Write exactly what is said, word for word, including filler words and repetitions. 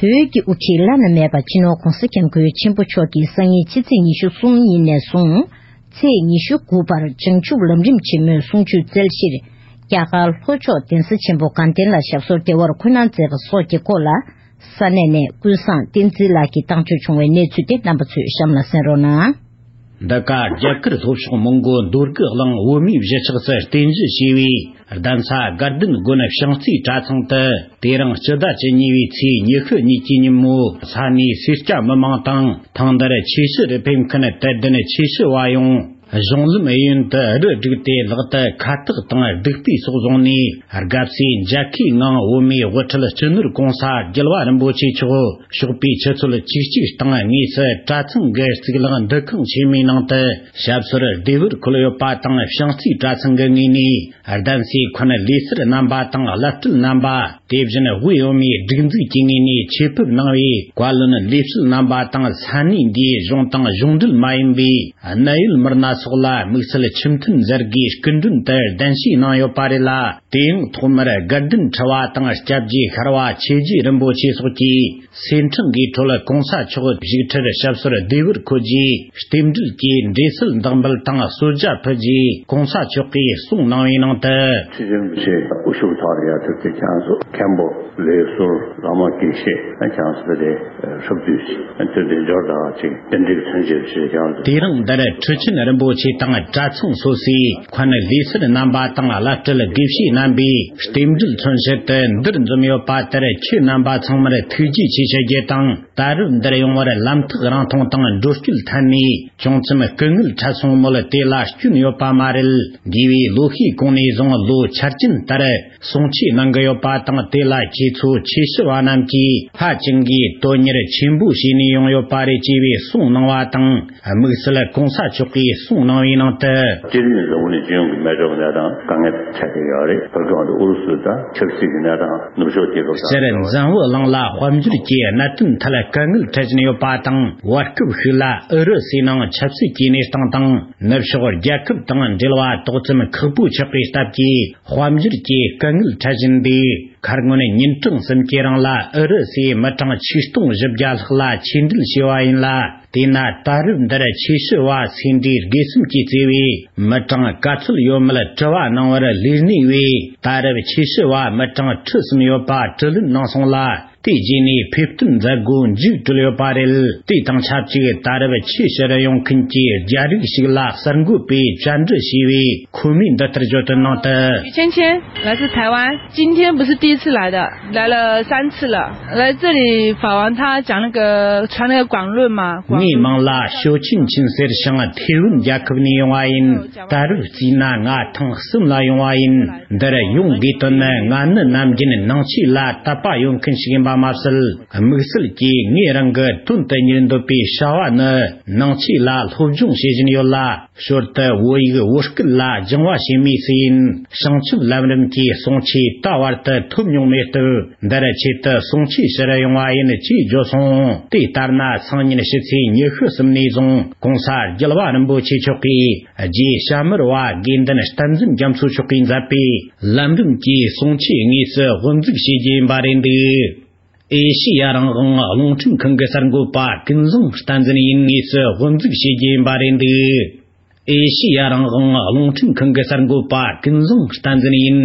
བོད་ཀྱི་དབུ་ཁྲིད་བླ་ན་མེད་པ་སྤྱི་ནོར་༧གོང་ས་༧སྐྱབས་མགོན་ཆེན་པོ་མཆོག་གིས་སང་ཉིན་ཕྱི་ཚེས་ཉི་ཤུ་གསུམ་ཉིན་ནས་བཟུང་ཚེས་ཉི་ཤུ་དགུ་བར་བྱང་ཆུབ་ལམ་རིམ་ཆེན་མོའི་གསུང་ཆོས་སྩལ་ཕྱིར། རྒྱ་གར་ལྷོ་ཕྱོགས་གདན་ས་ཆེན་པོ་དགའ་ལྡན་ལ་ཞབས་སོར་བདེ་བར་འཁོད་གནང་མཛད་པ་སོགས་ཀྱི་སྐོར་ལ། ས་གནས་ནས་ཀུན་བཟང་བསྟན་འཛིན་ལགས་ཀྱིས་བཏང་བཅོས་བྱུང་བའི་གནས་ཚུལ་དེ་རྣམ་པ་ཚོས་གཤམ་ལ་གསན་རོགས་གནང་། འདི་ག་རྒྱ་གར་ལྷོ་ཕྱོགས་མོན་གོ་འདོད་རྒུ་གླིང་བོད་མིའི་གཞིས་ཆགས་སུ་རྟེན་གཞི་བྱས་པའི་གདན་ས་དགའ་ལྡན་དགོན་བྱང་རྩེའི་གྲྭ་ཚང་དུ། དེ་རིང་སྤྱི་ཟླ་བཅུ་གཉིས་པའི་ཚེས་ཉི་ཤུ་གཉིས་ཀྱི་ཉིན་མོ་ས་གནས་སེར་སྐྱ་མི་མང་དང་། ཐེངས་འདིར་ཆོས་ཞུ་རུ་ཕེབས་མཁན་དད་ལྡན་ཆོས་ཞུ་བ་ཡོངས་གཞུང་ལམ་གཡས་གཡོན་དུ་རུ་བསྒྲིགས་ཏེ། ལག་ཏུ་ཁ་བཏགས་དང་བདུག་སྤོས་སོགས་བཟུང་ནས། དགའ་བསུའི་མཇལ་ཁའི་ངང་བོད་མིའི་དབུ་ཁྲིད་སྤྱི་ནོར་༧གོང་ས་༧རྒྱལ་བ་རིན་པོ་ཆེ་མཆོག་ཞོགས་པའི་ཆུ་ཚོད་བཅུ་གཅིག་སྟེང་དངོས་སུ་གྲྭ་ཚང་གི་གཙུག་ལག་འདུ་ཁང་ཆེན་མོའི་ནང་དུ་ཞབས་སོར་བདེ་བར་འཁོད་ཡོད་པ་དང་། བྱང་རྩེའི་གྲྭ་ཚང་གི་ངོས་ནས་གདན་སའི་འཁོན་ལས་སར་རྣམ་པ་དང་བླ་སྤྲུལ་རྣམ་པ། དེ་བཞིན་དབུས་བོད་མིའི་སྒྲིག་འཛུགས་ཀྱི་ངོས་ནས་ཆེད་ཕེབས་གནང་བའི་བཀའ་བློན་ལས་བྱེད་རྣམ་པ་དང་། ས་གནས་འདིའི་གཞུང་དང་གཞུང་འབྲེལ་མ་ཡིན་པའི་གནད་ཡོད་མི་སྣ་སོགས་ལ་དམིགས་བསལ་ཆེ་མཐུན་མཛད་སྒོའི་སྐུ་མགྲོན་དུ་གདན་ཞུ་གནང་ཡོད་པ་རེད་ལ། དེ་ཡང་ཐོག་མར་དགའ་ལྡན་ཁྲི་པ་དང་། སྐྱབས་རྗེ་ཤར་བ་ཆོས་རྗེ་རིན་པོ་ཆེ་སོགས་ཀྱིས་སེར་ཕྲེང་གི་ཁྲོད་༧གོང་ས་མཆོག་བཞུགས་ཁྲིར་ཞབས་སོར་བདེ་བར་འཁོད་རྗེས། རྟེན་འབྲེལ་གྱི་འབྲེལ་སིལ་འདེགས་འབུལ་དང་གསོལ་ཇ་ཕུལ་རྗེས། ༧གོང་ས་མཆོག་གིས་གསུང་གནང་བའི་ནང་དུ། ཁྲི་ཆེན་པོ་ཆེ་དབུ་བཞུགས་ཐོག་ལ་ཡ་ཐུབ་ཀྱི་ཁྱེད་ཚོ་མཁན་པོ་ལས་ཟུར་བླ་མ་དགེ་བཤེས་ཁྱེད་ཚོ་དེ་ཧྲུབ་བསྡུས་ཤིག་དེ་འདྲའི་འབྱོར་དང་ཅིག་དེ་འདྲའི་མཚོན་བྱེད་ཞིག་ཁྱེད་ཚོ། དེ་རིང་འདིར་ཁྲི་ཆེན་རིན་པོ་ཆེ་དང་གྲྭ་ཚང་སོ་སོའི་འཁོན་ལས་སར་རྣམ་པ་དང་། བླ་སྤྲུལ་དགེ་བཤེས་རྣམ་པས་རྟེན་འབྲེལ་མཚོན་བྱེད་དུ་འདིར་འཛོམས་ཡོད་པ་དེར་ཁྱེད་རྣམ་པ་ཚང་མར་ཐུགས་རྗེ་ཆེ་ཞུ་རྒྱུ་དང་། ད་རེས་འདིར་ཡོང་བར་ལམ་ཐག་རིང་ཐུང་དང་འགྲོ་སྐྱོད་ཐད་ནས་ཅུང་ཙམ་སྐུ་ངལ་འཕྲད་སོང་མོད། དེ་ལ་སྐྱོན་ཡོད་པ་མ་རེད། འདས་པའི་ལོ་ཤས་གོང་ནས་བཟུང་ལོ་འཆར་ཅན་ལྟར་གསུང་ཆོས་གནང་གི་ཡོད་པ་དང་། དེ་ལ་ཁྱེད་ཚོ་ཆོས་ཞུ་བ་རྣམས་ཀྱིས་ཧ་ཅང་གིས་དོན་གཉེར་ཆེན་པོ་བྱས་ནས་ཡོང་ཡོད་པ་རེད་ཅེས་པའི་གསུང་གནང་བ་དང་། དམིགས་བསལ་༧གོང་ས་མཆོག་གིས་གསུང་གནང་བའི་ནང་དུ། སྤྱིར་ནི་ལོ་ནས་སྤྱི་ཡོངས་ཀྱི་མེ་སྒྲོན་གནས་སྟངས་དཀའ་ངལ་འཕྲད་ཀྱི་ཡོད་རེད། བོད་ཁམས་དུ་ཨུ་རུ་སུ་དང་ཆབ་སྲིད་ཀྱི་གནས་སྟངས་ནུབ་ཕྱོགས་རྒྱལ་ཁབ་དང་། སྤྱིར་འཛམ་བུ་གླིང་ལ་དཔལ་འབྱོར་གྱི་གནད་དོན་ཐད་དཀའ་ངལ་འཕྲད་བཞིན་ཡོད་པ་དང་། བར་སྐབས་ཤིག་ལ་ཨུ་རུ་སུའི་ནང་ཆབ་སྲིད་ཀྱི་གནས་སྟངས་དང་ནུབ་ཕྱོགས་རྒྱལ་ཁབ་དང་འབྲེལ་བ་ཏོག་ཙམ་ཁག་པོ་ཆགས་པའི་སྟབས་ཀྱིས། དཔལ་འབྱོར་གྱི་དཀའ་ངལ་འཕྲད་བཞིན་པའི་ཁར་སྔོན་ཉིན་གྲངས་གསུམ་གྱི་རིང་ལ་ཨུ་རུ་སུའི་མི་གྲངས་ཆིག་སྟོང་བཞི་བརྒྱ་ལྷག་ལ་ཆེད་འབྲེལ་བྱས་པ་ཡིན་ལ། དེས་ན་ད་རེས་འདིར་ཆོས་ཞུ་བ་སེ་འབྲས་དགེ་གསུམ་གྱིས་གཙོས་པའི་མི་གྲངས་ག་ཚོད་ཡོད་མེད་དྲི་བ་གནང་བར་ལས་སྣེ་བས། ད་རེས་ཆོས་ཞུ་བ་མི་གྲངས་ཁྲི་གསུམ་ཡོད་པ་དྲི་ལན་གནང་སོང་ལ། དེ་རྗེས་ནས་ཕེབས་ཐོན་མཛད་སྒོ་མཇུག་གྲོལ་ཡོད་པ་རེད། དེ་དང་ཆབས་ཅིག་ད་རེས་ཆོས་ཞུ་རུ་ཡོང་མཁན་གྱི་རྒྱ་རིགས་ཤིག་ལ་གསར་འགོད་པས་བཅར་འདྲི་བྱས་པས། ཁོ་མོས་འདི་ལྟར་བརྗོད་དོན་ནང་དུ། 于芊芊，来自台湾，今天不是第一次来的，来了三次了。来这里访问他，讲那个传那个广论嘛，广论。 ངའི་མིང་ལ་ཞོ་ཆིན་ཆིན་ཟེར་ཞིང་ཐེ་ཝན་རྒྱལ་ཁབ་ནས་ཡོང་བ་ཡིན། ད་རུང་བརྩིས་ན་ང་ཐེངས་གསུམ་ལ་ཡོང་བ་ཡིན། འདིར་ཡོང་དགོས་དོན་ནི། ང་ནི་ནམ་རྒྱུན་ནང་ཆོས་ལ་དད་པ་ཡོད་མཁན་ཞིག་ཡིན་པ་མ་ཟད། དམིགས་བསལ་གྱིས་ངས་རང་གི་དོན་དུ་གཉེར་འདོད་པའི་བྱ་བ་ནི། ནང་ཆོས་ལ་སློབ་སྦྱོང་བྱེད་བཞིན་ཡོད་ལ། ཞོར་དུ་བོད་ཡིག་བོད་སྐད་ལ་སྦྱང་བ་བྱེད་མུས་སུ་ཡིན། བྱང་ཆུབ་ལམ་རིམ་གྱི་གསུང་ཆོས་ད་བར་དུ་ཐོབ་མྱོང་མེད་སྟབས། འདིར་ཆེད་དུ་གསུང་ཆོས་ཞུ་རུ་ཡོང་བ་ཡིན་ཅེས་བརྗོད་སོང་། དེ་ལྟར་ན། སང་ཉིན་ཕྱི་ཚེས་ཉི་ཤུ་གསུམ་ནས་བཟུང་༧གོང་ས་རྒྱལ་བ་རིན་པོ་ཆེ་མཆོག་གིས་རྗེ་ཞྭ་དམར་བ་དགེ་འདུན་བསྟན་འཛིན་རྒྱ་མཚོ་མཆོག་གིས་མཛད་པའི་ལམ་རིམ་གྱི་གསུང་ཆོས་དངོས་སུ་དབུ་འཛུགས་བྱེད་རྒྱུ་ཡིན་པ་རེད་འདུག། ཨེ་ཤེ་ཡ་རང་དབང་རླུང་འཕྲིན་ཁང་གི་གསར་འགོད་པ་ཀུན་བཟང་བསྟན་འཛིན་ཡིན། དངོས་སུ་དབུ་འཛུགས་བྱེད་རྒྱུ་ཡིན་པ་རེད་འདུག། ཨེ་ཤེ་ཡ་རང་དབང་རླུང་འཕྲིན་ཁང་གི་གསར་འགོད་པ་ཀུན་བཟང་བསྟན་འཛིན་ཡིན།